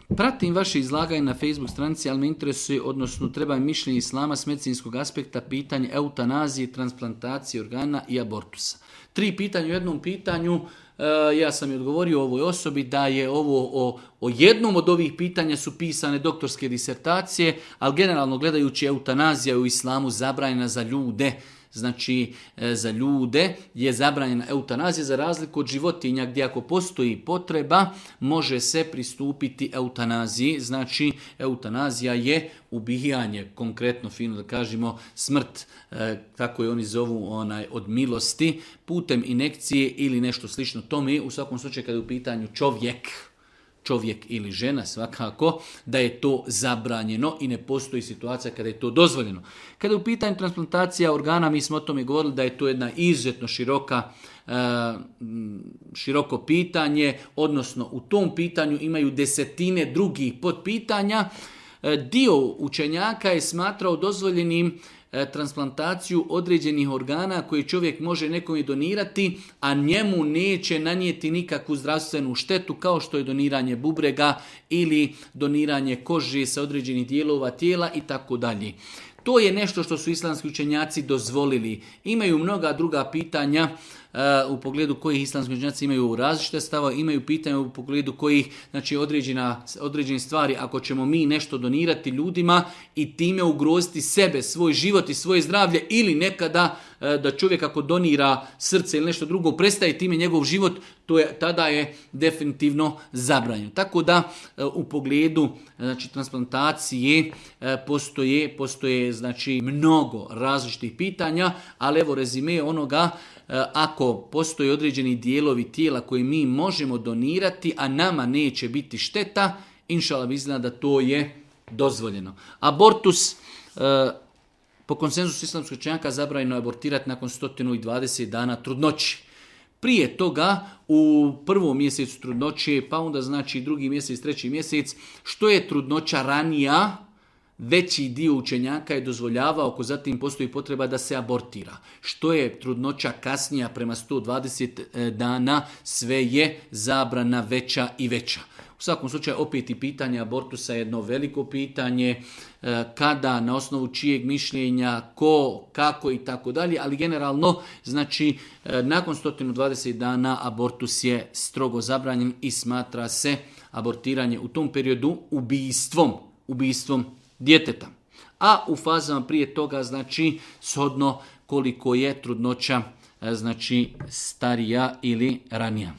Pratim vaše izlaganje na Facebook stranici, ali me interesuje, odnosno treba mi mišljenje islama s medicinskog aspekta, pitanje eutanazije, transplantacije organa i abortusa. 3 pitanja u jednom pitanju. Ja sam i odgovorio ovoj osobi da je ovo o jednom od ovih pitanja su pisane doktorske disertacije, ali generalno gledajući eutanazija u islamu zabranjena za ljude. Znači, za ljude je zabranjena eutanazija za razliku od životinja gdje ako postoji potreba može se pristupiti eutanaziji. Znači, eutanazija je ubijanje, konkretno fino da kažemo smrt, tako je oni zovu od milosti, putem injekcije ili nešto slično tome. U svakom slučaju kada je u pitanju čovjek ili žena svakako, da je to zabranjeno i ne postoji situacija kada je to dozvoljeno. Kada je u pitanju transplantacija organa, mi smo o tome govorili da je to jedna izuzetno široko pitanje, odnosno u tom pitanju imaju desetine drugih podpitanja. Dio učenjaka je smatrao dozvoljenim transplantaciju određenih organa koje čovjek može nekome donirati, a njemu neće nanijeti nikakvu zdravstvenu štetu, kao što je doniranje bubrega ili doniranje kože sa određenih dijelova tijela i tako dalje. To je nešto što su islamski učenjaci dozvolili. Imaju mnoga druga pitanja u pogledu kojih islamski učenjaci imaju različite stavove, imaju pitanja u pogledu kojih, znači određene stvari, ako ćemo mi nešto donirati ljudima i time ugroziti sebe, svoj život i svoje zdravlje, ili nekada da čovjek ako donira srce ili nešto drugo, prestaje time njegov život, tada je definitivno zabranjeno. Tako da u pogledu transplantacije postoje znači mnogo različitih pitanja, ali evo rezime onoga, ako postoje određeni dijelovi tijela koje mi možemo donirati, a nama neće biti šteta, inšallah izgleda da to je dozvoljeno. Abortus, po konsenzusu islamskog učenjaka zabranjeno je abortirati nakon 120 dana trudnoće. Prije toga, u prvom mjesecu trudnoće, pa onda znači drugi mjesec, treći mjesec, što je trudnoća ranija, veći dio učenjaka je dozvoljavao, ako zatim postoji potreba da se abortira. Što je trudnoća kasnija prema 120 dana, sve je zabrana veća i veća. U svakom slučaju, opet i pitanje abortusa je jedno veliko pitanje, kada, na osnovu čijeg mišljenja, ko, kako i tako dalje, ali generalno, znači, nakon 120 dana abortus je strogo zabranjen i smatra se abortiranje u tom periodu ubijstvom djeteta. A u fazama prije toga, znači, shodno koliko je trudnoća, znači, starija ili ranija.